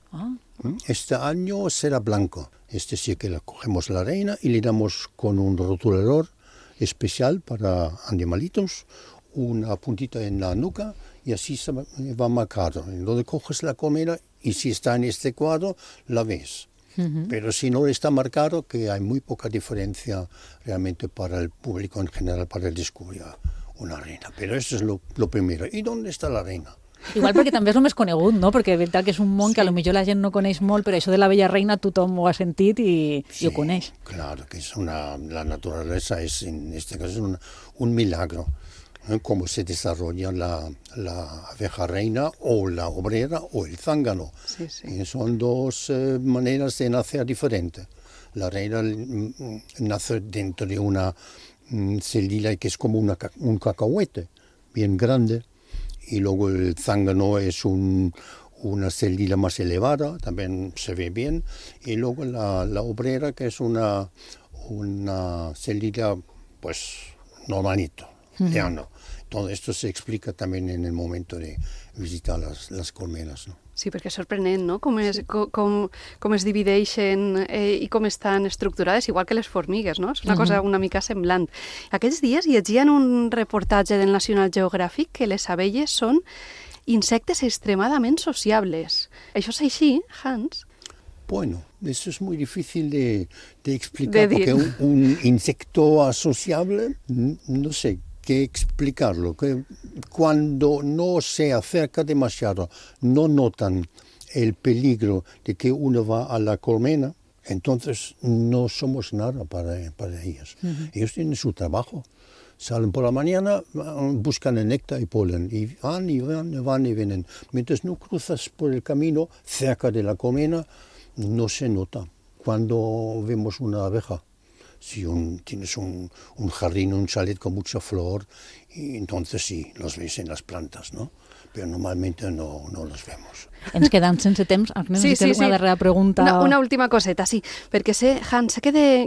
Este año será blanco, es decir que cogemos la reina y le damos con un rotulador especial para animalitos una puntita en la nuca y así se va marcado. Entonces coges la colmena y si está en este cuadro la ves. Pero si no está marcado, que hay muy poca diferencia realmente para el público en general para descubrir una reina. Pero eso es lo primero. ¿Y dónde está la reina? Igual perquè també és el més conegut, no? Perquè és veritat que és un món que potser la gent no coneix molt, però això de la bella reina tothom ho ha sentit i ho coneix. Claro, que la naturaleza es, en este caso, es un milagro. Cómo se desarrolla la abeja reina o la obrera o el zángano. Sí. Son dos maneras de nacer diferentes. La reina nace dentro de una célula que es como un cacahuete, bien grande. Y luego el zángano es una célula más elevada, también se ve bien. Y luego la obrera, que es una célula, pues, normalito, llano. Todo esto se explica también en el momento de visitar las colmenas, ¿no? Sí, perquè és sorprenent, no?, com es divideixen i com estan estructurades, igual que les formigues, no? És una cosa una mica semblant. Aquests dies llegia en un reportatge del National Geographic que les abelles són insectes extremadament sociables. Això és així, Hans? Bueno, eso es muy difícil de explicar, porque un insecto asociable, no sé qué explicarlo, que cuando no se acerca demasiado, no notan el peligro de que uno va a la colmena, entonces no somos nada para ellos. Ellos tienen su trabajo. Salen por la mañana, buscan el néctar y polen, y van y vienen. Mientras no cruzas por el camino cerca de la colmena, no se nota cuando vemos una abeja. Si tienes un jardín, un chalet con mucha flor, y entonces sí, los ves en las plantas, ¿no? Pero normalmente no los vemos. Ens quedem sense temps. Agnès, sí. una darrera pregunta. Una última coseta, sí. Perquè Hans, sé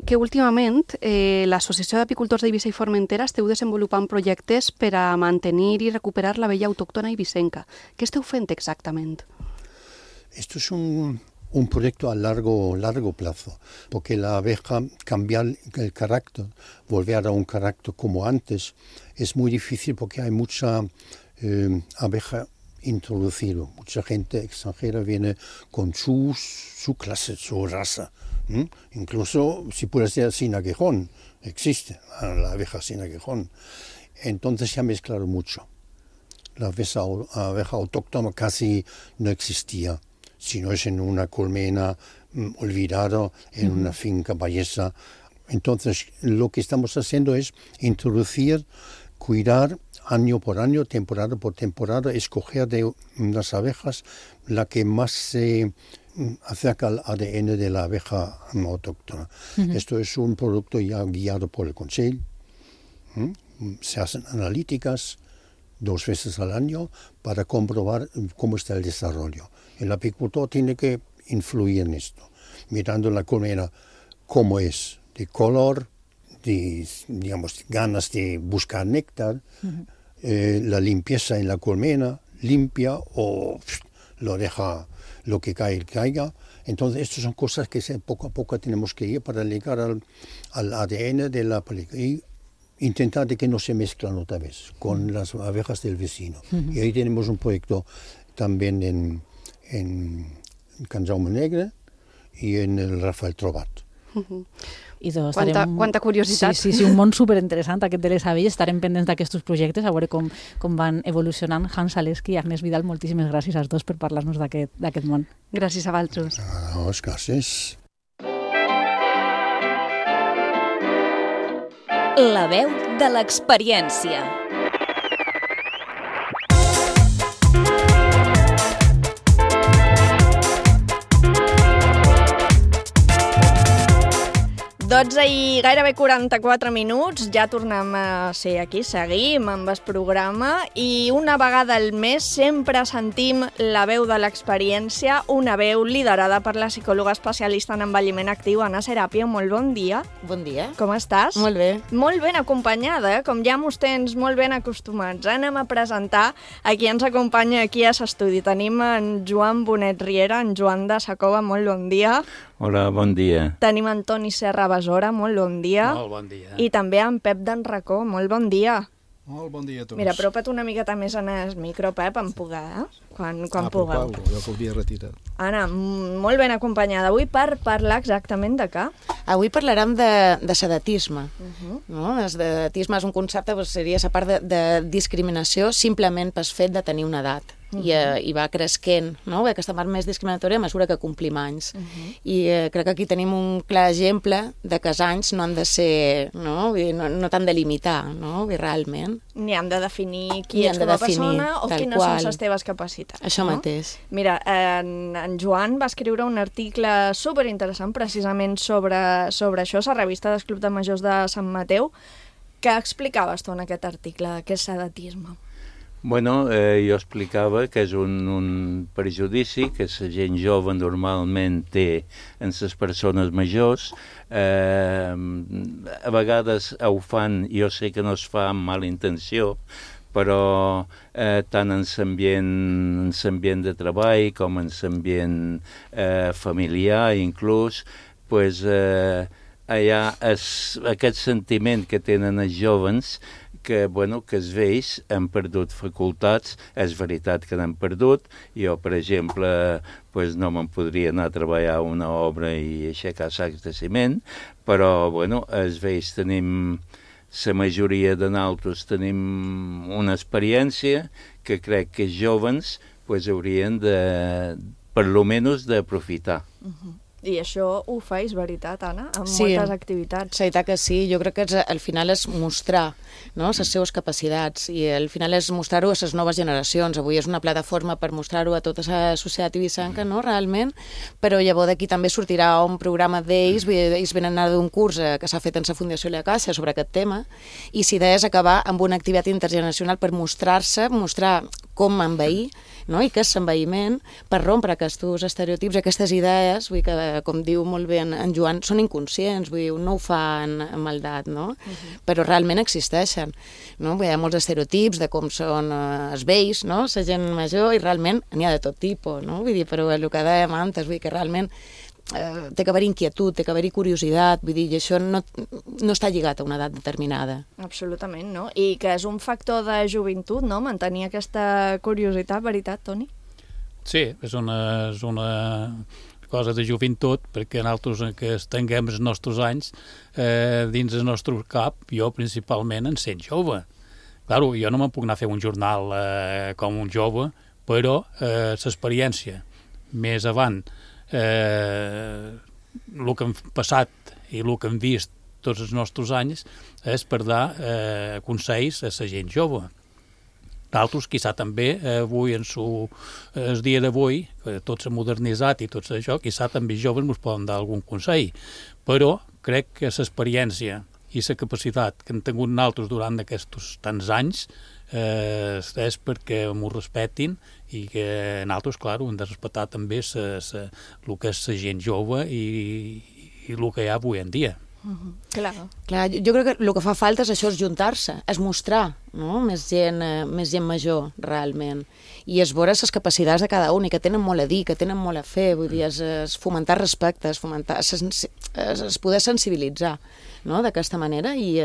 que últimament l'Associació d'Apicultors d'Eivissa i Formentera esteu desenvolupant projectes per a mantenir i recuperar la vella autòctona eivissenca. Què esteu fent exactament? Esto es un proyecto a largo plazo, porque la abeja, cambiar el carácter, volver a un carácter como antes, es muy difícil porque hay mucha abeja introducida. Mucha gente extranjera viene con su clase, su raza. Incluso, si puede ser sin aguijón, existe la abeja sin aguijón. Entonces se ha mezclado mucho. La abeja autóctona casi no existía. Si no es en una colmena olvidada, en una finca ballesa. Entonces, lo que estamos haciendo es introducir, cuidar año por año, temporada por temporada, escoger de las abejas la que más se acerca al ADN de la abeja autóctona. Esto es un producto ya guiado por el Consejo. Se hacen analíticas 2 veces al año para comprobar cómo está el desarrollo. El apicultor tiene que influir en esto, mirando la colmena cómo es, de color, de, digamos, ganas de buscar néctar, la limpieza en la colmena, limpia o lo deja lo que caiga. Entonces, estas son cosas que poco a poco tenemos que ir para llegar al ADN de la película y intentar de que no se mezclan otra vez con las abejas del vecino. Y ahí tenemos un proyecto también en Can Jaume Negre y en el Rafael Trobat. Quanta curiositat. Sí, un món superinteressant aquest de les abelles. Estarem pendents d'aquests projectes, a veure com van evolucionant. Hans Zaleski i Agnès Vidal, moltíssimes gràcies als dos per parlar-nos d'aquest món. Gràcies a vosaltres. Gràcies. La veu de l'experiència. I gairebé 44 minuts, ja tornem a ser aquí, seguim amb el programa i una vegada al mes sempre sentim la veu de l'experiència, una veu liderada per la psicòloga especialista en envelliment actiu, Anna Serapio. Molt bon dia. Bon dia. Com estàs? Molt bé. Molt ben acompanyada, com ja mos tens molt ben acostumats. Anem a presentar a qui ens acompanya aquí a l'estudi. Tenim en Joan Bonet Riera, en Joan de Sacova, molt bon dia. Hola, bon dia. Tenim en Toni Serra Besora, molt bon dia. Molt bon dia. I també en Pep d'Enracó, molt bon dia. Molt bon dia a tots. Mira, apropa't una miqueta més en el micro, Pep, en poder, quan pugueu. Jo que ho havia retirat. Anna, molt ben acompanyada avui per parlar exactament de què? Avui parlarem de sedatisme. No? El sedatisme és un concepte, seria la part de discriminació simplement pel fet de tenir una edat. I va cresquent, no? Aquesta part més discriminatòria a mesura que complim anys. I crec que aquí tenim un clar exemple de que els anys no han de ser, no t'han de limitar, no? Realment. Ni han de definir qui ets com a persona o quines són les teves capacitats. Això mateix. Mira, en Joan va escriure un article superinteressant precisament sobre això, a la revista del Club de Majors de Sant Mateu. Què explicaves tu en aquest article? Què és sedatisme? Bueno, jo explicava que és un prejudici que la gent jove normalment té en les persones majors. A vegades ho fan, jo sé que no es fa amb mala intenció, però tant en l'ambient de treball com en l'ambient familiar inclús, pues, hi ha aquest sentiment que tenen els jóvens que els vells han perdut facultats. És veritat que n'han perdut. Jo, per exemple, no me'n podria anar a treballar a una obra i aixecar sacs de ciment, però els vells tenim, la majoria de nosaltres tenim una experiència que crec que els jóvens haurien de, per lo menys, d'aprofitar. I això ho fa, és veritat, Anna, amb moltes activitats. Sí, veritat que sí. Jo crec que al final és mostrar les seves capacitats i al final és mostrar-ho a les noves generacions. Avui és una plataforma per mostrar-ho a tota la societat ibicenca, realment, però llavors d'aquí també sortirà un programa d'ells, ells venen a d'un curs que s'ha fet en la Fundació La Caixa sobre aquest tema, i si és acabar amb una activitat intergeneracional per mostrar-se, mostrar com envair, i què és l'envaïment, per rompre aquests estereotips, aquestes idees, vull que, com diu molt bé en Joan, són inconscients, vull dir, no ho fan amb maldat, però realment existeixen. Hi ha molts estereotips de com són els vells, la gent major, i realment n'hi ha de tot tipus, vull dir, però el que dèiem antes, vull dir que realment té que haver inquietud, té que haver curiositat, vull dir, i això no està lligat a una edat determinada. Absolutament, no? I que és un factor de joventut, no?, mantenir aquesta curiositat, veritat, Toni? Sí, és una cosa de joventut, perquè nosaltres que tinguem els nostres anys dins el nostre cap, jo principalment en sent jove. Claro, jo no me'n puc anar a fer un jornal com un jove, però l'experiència més avant, el que hem passat i el que hem vist tots els nostres anys és per dar consells a la gent jove. D'altres, quizà també, avui, el dia d'avui, que tot s'ha modernitzat i tot això, quizà també joves ens poden dar algun consell, però crec que l'experiència i la capacitat que hem tingut nosaltres durant aquests tants anys és perquè m'ho respetin i que nosaltres, clar, hem de respectar també el que és la gent jove i el que hi ha avui en dia. Clar, jo crec que el que fa falta és això, és juntar-se, és mostrar no? Més gent major, realment. I és veure les capacitats de cada un i que tenen molt a dir, que tenen molt a fer, vull dir, és fomentar respecte, és poder sensibilitzar, no? D'aquesta manera, i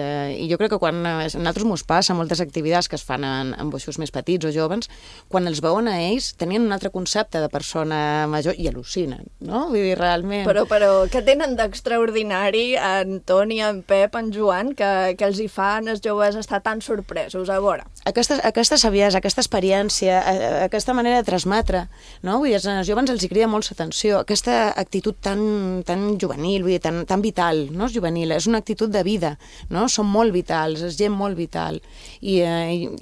jo crec que quan a nosaltres mos passa moltes activitats que es fan amb boixos més petits o joves, quan els veuen a ells tenien un altre concepte de persona major i al·lucinen, no? Vull dir, realment... Però què tenen d'extraordinari en Toni, en Pep, en Joan, que els hi fan els joves estar tan sorpresos? A veure. Aquesta saviesa, aquesta experiència, aquesta manera de transmetre, no? Vull dir, als joves els hi crida molt l'atenció, aquesta actitud tan juvenil, vull dir, tan vital, no és juvenil, és una actitud de vida, no? Són molt vitals, és gent molt vital, i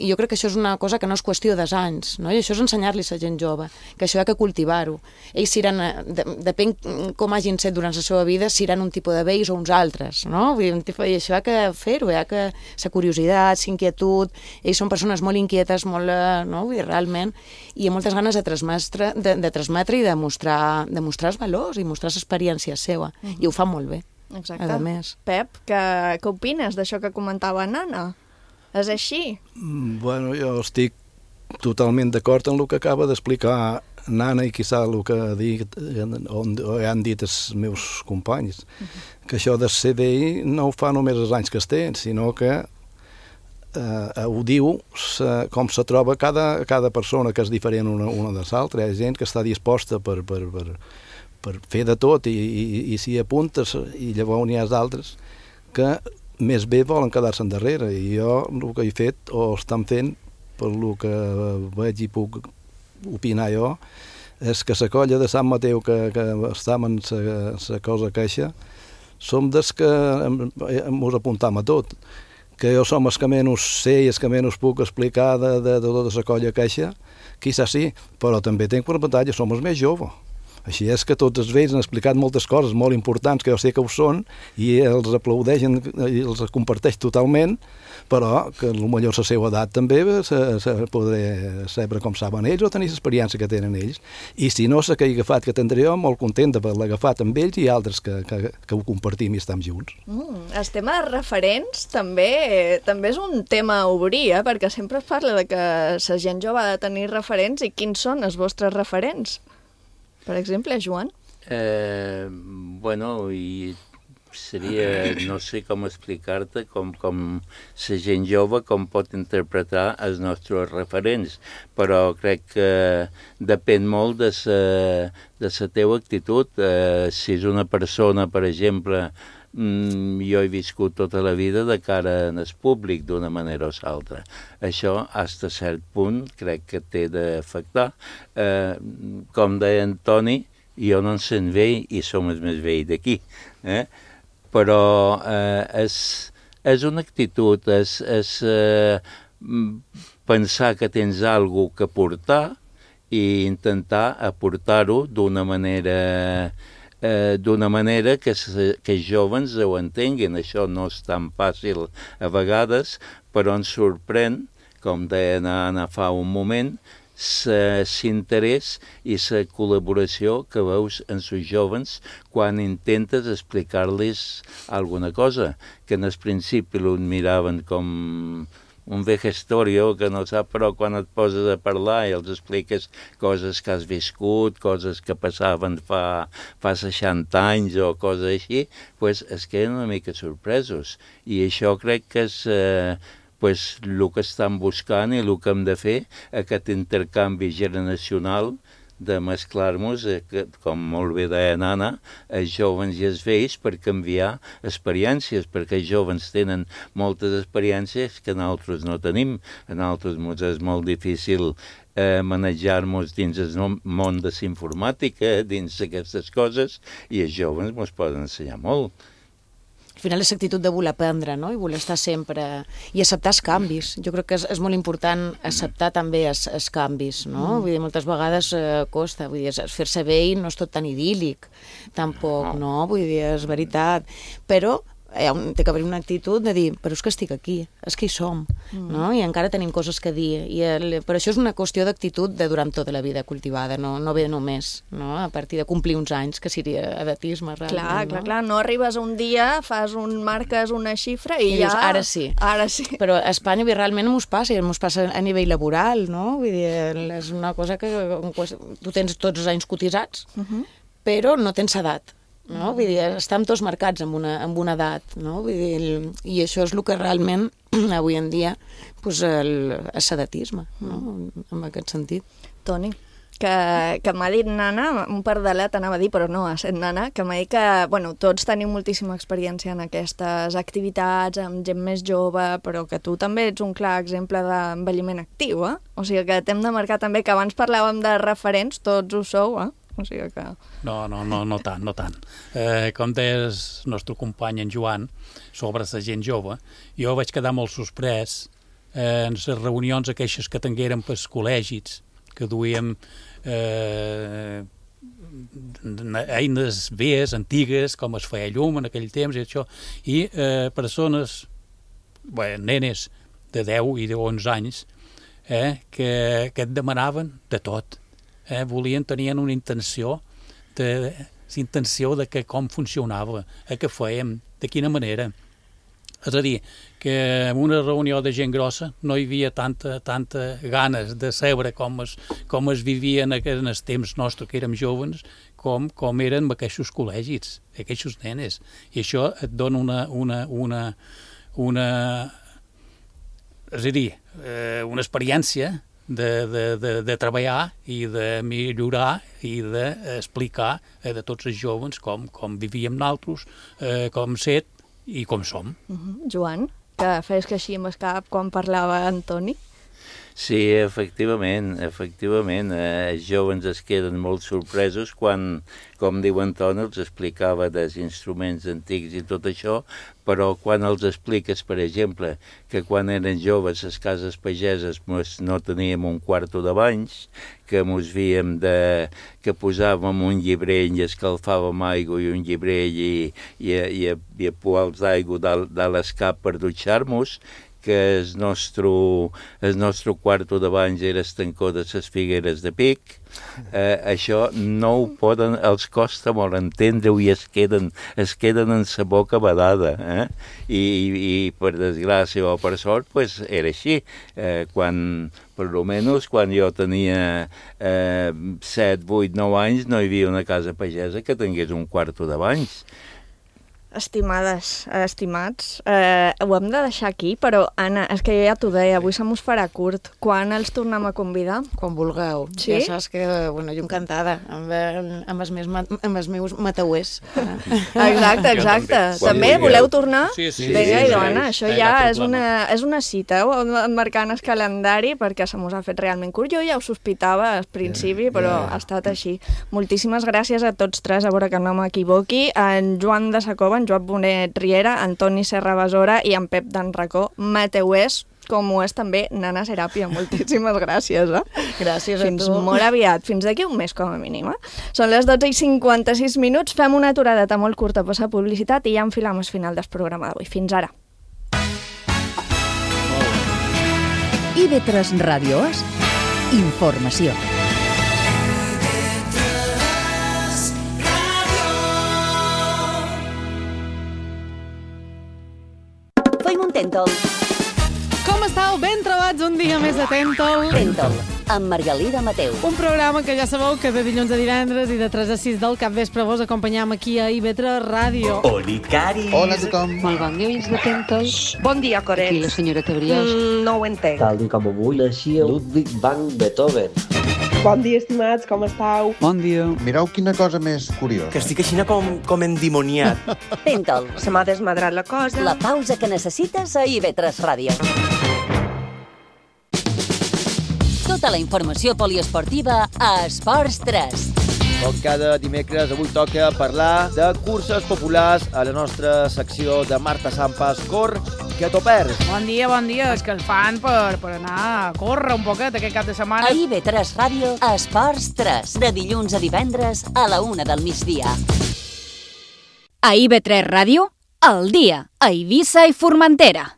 jo crec que això és una cosa que no és qüestió d'anys, no? I això és ensenyar-los a gent jove, que això hi ha que cultivar-ho. Ells seran, depèn com hagin set durant la seva vida, seran un tipus de vells o uns altres, no? Vull dir, i això hi ha que fer-ho, hi ha que la curiositat, la inquietud, ells són persones molt inquietes, molt, no? Vull dir, realment, i amb moltes ganes de transmetre i de mostrar els valors i mostrar l'experiència seva, i ho fan molt bé. Exacte. A més. Pep, què opines d'això que comentava Nana? És així? Bueno, jo estic totalment d'acord amb el que acaba d'explicar Nana i quizà el que han dit els meus companys, que això de ser vell no ho fa només els anys que es té, sinó que ho diu com se troba cada persona, que és diferent una de l'altra. Hi ha gent que està disposta per fer de tot i s'hi apuntes, i llavors n'hi ha d'altres que més bé volen quedar-se endarrere, i jo el que he fet o estan fent, per el que veig i puc opinar jo, és que la colla de Sant Mateu que estàvem en la cosa queixa, som des que ens apuntam a tot, que jo som els que menys sé i els que menys puc explicar de tota la colla queixa, quizás sí, però també tinc per avantatge, som els més joves. Així és que tots els vells han explicat moltes coses molt importants, que jo sé que ho són, i els aplaudeixen i els comparteix totalment, però que potser la seva edat també podré saber com saben ells o tenir l'experiència que tenen ells. I si no, la que he agafat, que tindré jo, molt contenta per l'haver agafat amb ells i altres que ho compartim i estem junts. El tema de referents també és un tema a obrir, perquè sempre es parla de que la gent jove ha de tenir referents, i quins són els vostres referents? Per exemple, Joan? Bueno, i seria, no sé com explicar-te, com la gent jove com pot interpretar els nostres referents, però crec que depèn molt de la teva actitud. Si és una persona, per exemple, jo he viscut tota la vida de cara en el públic d'una manera o l'altra. Això, fins a cert punt, crec que té d'afectar. Com deia en Toni, jo no en sent vell i som els més vells d'aquí. Però és una actitud, és pensar que tens alguna cosa que aportar i intentar aportar-ho d'una manera que els joves ho entenguin. Això no és tan fàcil a vegades, però ens sorprèn, com deia Anna fa un moment, l'interès i la col·laboració que veus en els joves quan intentes explicar-los alguna cosa, que en el principi ho miraven com un vejestorio que no sap, però quan et poses a parlar i els expliques coses que has viscut, coses que passaven fa 60 anys o coses així, pues es queden una mica sorpresos. I això crec que és el que estan buscant i el que hem de fer, aquest intercanvi generacional de mesclar-nos, com molt bé deia Nana, els joves i els vells, per canviar experiències, perquè els joves tenen moltes experiències que nosaltres no tenim. A nosaltres és molt difícil manejar-nos dins el món de la informàtica, dins d'aquestes coses, i els joves ens poden ensenyar molt. Al final és l'actitud de voler aprendre, no? I voler estar sempre... I acceptar els canvis. Jo crec que és molt important acceptar també els canvis, no? Vull dir, moltes vegades costa. Vull dir, fer-se vell no és tot tan idíl·lic, tampoc, no? Vull dir, és veritat. Però té que haver una actitud de dir, però és que estic aquí, és que hi som, no? I encara tenim coses que dir. Però això és una qüestió d'actitud de durant tota la vida cultivada, no ve només, no? A partir de complir uns anys, que seria edatisme, realment. Clar, no arribes un dia, marques una xifra i ja... Dius, ara sí. Però a Espanya realment mos passa a nivell laboral, no? Vull dir, és una cosa que tu tens tots els anys cotitzats, però no tens edat. No? Vull dir, estem tots marcats amb una edat, no? Vull dir, i això és el que realment avui en dia és sedatisme, no? En aquest sentit. Toni, que m'ha dit Nana, un pardalet anava a dir, però no ha set Nana, que m'ha dit que tots tenim moltíssima experiència en aquestes activitats, amb gent més jove, però que tu també ets un clar exemple d'envelliment actiu, O sigui que t'hem de marcar també, que abans parlàvem de referents, tots ho sou, O sigui que... No tant. Com deia el nostre company en Joan, sobre la gent jove, jo vaig quedar molt sorprès en les reunions aquelles que tinguérem pels col·legis, que duíem eines velles, antigues, com es feia llum en aquell temps i això, i persones, nenes de 10 i de 11 anys, que et demanaven de tot. Tenien una intenció de com funcionava, què fèiem, de quina manera. És a dir, que en una reunió de gent grossa no hi havia tanta ganes de saber com es vivia en els temps nostres, que érem joves, com eren aquests col·legis, aquests nenes. I això et dona una experiència de treballar i de millorar i d'explicar a tots els joves com vivíem nosaltres, com set i com som. Joan, que feies que així amb el cap quan parlava Antoni? Sí, efectivament. Els joves es queden molt sorpresos quan, com diu Antoni, els explicava dels instruments antics i tot això, però quan els expliques, per exemple, que quan eren joves les cases pageses no teníem un quarto de banys, que mos víem que posàvem un llibrell i escalfàvem aigua i un llibrell i poals d'aigua de l'escap per dutxar-nos, que el nostre quarto de banys era estancó de les figueres de Pic. Això no ho poden, els costa molt entendre-ho i es queden en sa boca badada. I per desgràcia o per sort, era així. Per almenys quan jo tenia 7, 8, 9 anys no hi havia una casa pagesa que tingués un quarto de banys. Estimades, estimats, ho hem de deixar aquí, però Anna, és que jo ja t'ho deia, avui se mos farà curt. Quan els tornem a convidar? Quan vulgueu. Sí? Ja saps que, jo encantada, amb els meus matauers. Exacte. També voleu tornar? Sí. Vinga, i Anna, això ja és una cita, marcant el calendari, perquè se mos ha fet realment curt. Jo ja ho sospitava al principi, però ha estat així. Moltíssimes gràcies a tots tres, a veure que no m'equivoqui. En Joan de Sacova, en Joan Bonet Riera, Antoni Serra Besora i en Pep d'en Racó, mateuers, com ho és també Nana Serapia. Moltíssimes gràcies. Gràcies a tu. Fins molt aviat, fins d'aquí un mes com a mínim. Són les 12:56, fem una aturada molt curta per la publicitat i ja enfilam el final del programa d'avui. Fins ara. IB3 Ràdio És informació. Tèntol. Com estàu? Ben trobats un dia més de Tèntol. Tèntol, amb Margalida Mateu. Un programa que ja sabeu que de dilluns a divendres i de 3 a 6 del capvespre vos acompanyam aquí a IB3 Ràdio. Olicaris. Hola a tothom. Molt bon dia, oients de Tèntol. Bon dia, Coret. Aquí la senyora Tebriós. No ho entenc. Tal com avui naixia Ludwig van Beethoven. Bon dia, estimats, com estàu? Bon dia. Mireu quina cosa més curiosa. Que estic així com endimoniat. Tèntol. Se m'ha desmadrat la cosa. La pausa que necessites a IB3 Ràdio. Tota la informació poliesportiva a Esports 3. Com cada dimecres, avui toca parlar de curses populars a la nostra secció de Marta Sampas Cor, que t'ho perds. Bon dia, és que el fan per anar a córrer un poquet aquest cap de setmana. A IB3 Ràdio, a Esports 3, de dilluns a divendres a la 1 del migdia. A IB3 Ràdio, Al dia, a Eivissa i Formentera.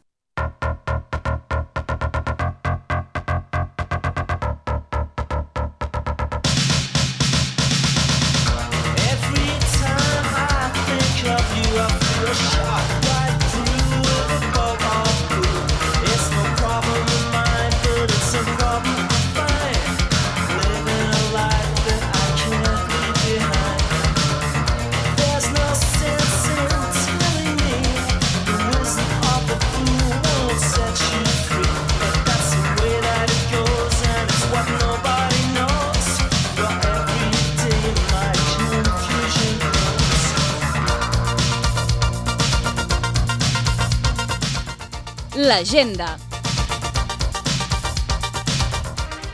L'agenda.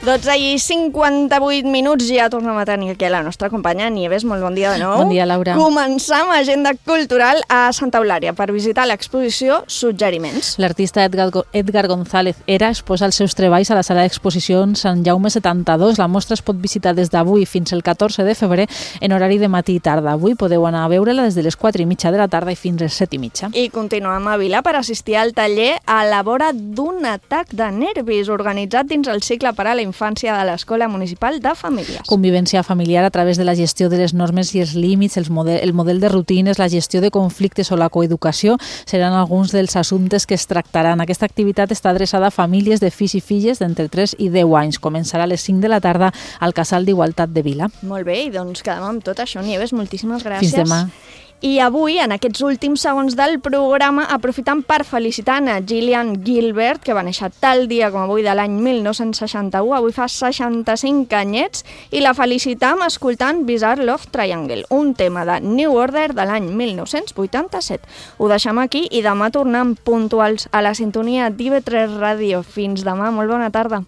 12:58 ja tornem a tenir aquí la nostra companya Nieves. Molt bon dia de nou. Bon dia, Laura. Començam agenda cultural a Santa Eulària per visitar l'exposició Suggeriments. L'artista Edgar González Era exposa els seus treballs a la sala d'exposicions Sant Jaume 72. La mostra es pot visitar des d'avui fins el 14 de febrer en horari de matí i tarda. Avui podeu anar a veure-la des de les 4:30 de la tarda i fins les 7:30. I continuem a Vila per assistir al taller A la vora d'un atac de nervis, organitzat dins el cicle per a la infància de l'Escola Municipal de Famílies. Convivència familiar a través de la gestió de les normes i els límits, el model de rutines, la gestió de conflictes o la coeducació seran alguns dels assumptes que es tractaran. Aquesta activitat està adreçada a famílies de fills i filles d'entre 3 i 10 anys. Començarà a les 5 de la tarda al Casal d'Igualtat de Vila. Molt bé, i doncs quedem amb tot això. Nieves, moltíssimes gràcies. Fins demà. I avui, en aquests últims segons del programa, aprofitant per felicitar a Gillian Gilbert, que va néixer tal dia com avui de l'any 1961, avui fa 65 anyets, i la felicitam escoltant Bizarre Love Triangle, un tema de New Order de l'any 1987. Ho deixem aquí i demà tornem puntuals a la sintonia d'IV3 Ràdio. Fins demà, molt bona tarda.